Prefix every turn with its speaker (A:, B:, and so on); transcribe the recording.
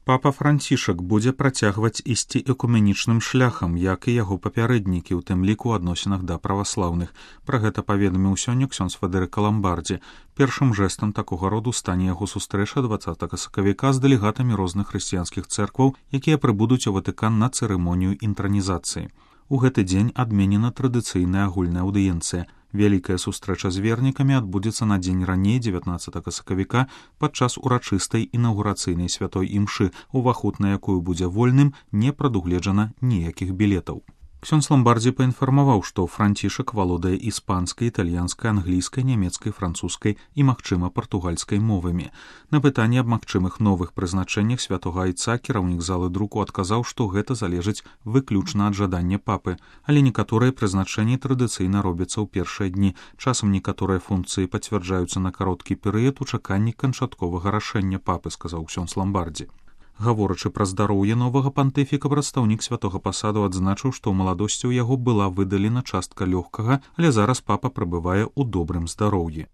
A: Папа Францішак будзе працягваць ісці экуменічным шляхам, як і яго папярэднікі, у тым ліку ў адносінах да праваслаўных. Пра гэта паведаміў сёння ксёндз Федэрыка Ламбардзі. Першым жэстам такога роду стане яго сустрэча 20 сакавіка з дэлегатамі розных хрысціянскіх цэркваў, якія прыбудуць у Ватыкан на цырымонію інтранізацыі. У гэты дзень адменена традыцыйная агульная аўдыенцыя. Вялікая сустрэча з вернікамі адбудзецца на дзень раней 19 сакавіка падчас урачыстай інаўгурацыйнай святой імшы, уваход на якую будзе вольным, не прадугледжана ніякіх білетаў. Ксёндз Ламбардзі паінфармаваў, што Францішак валодае іспанскай, італьянскай, англійскай, нямецкай, французскай і, магчыма, партугальскай мовамі. На пытанне аб магчымых новых прызначэннях святога айца кіраўнік залы друку адказаў, што гэта залежыць выключна ад жадання папы, але некаторыя прызначэнні традыцыйна робяцца ў першыя дні. Часам некаторыя функцыі пацвярджаюцца на кароткі перыяд у чаканні канчатковага рашэння папы, сказаў ксёндз Ламбардзі. Гаворачы пра здароўе новага пантыфіка, прадстаўнік святога пасаду адзначыў, што ў маладосці ў яго была выдалена частка лёгкага, але зараз папа прабывае ў добрым здароўі.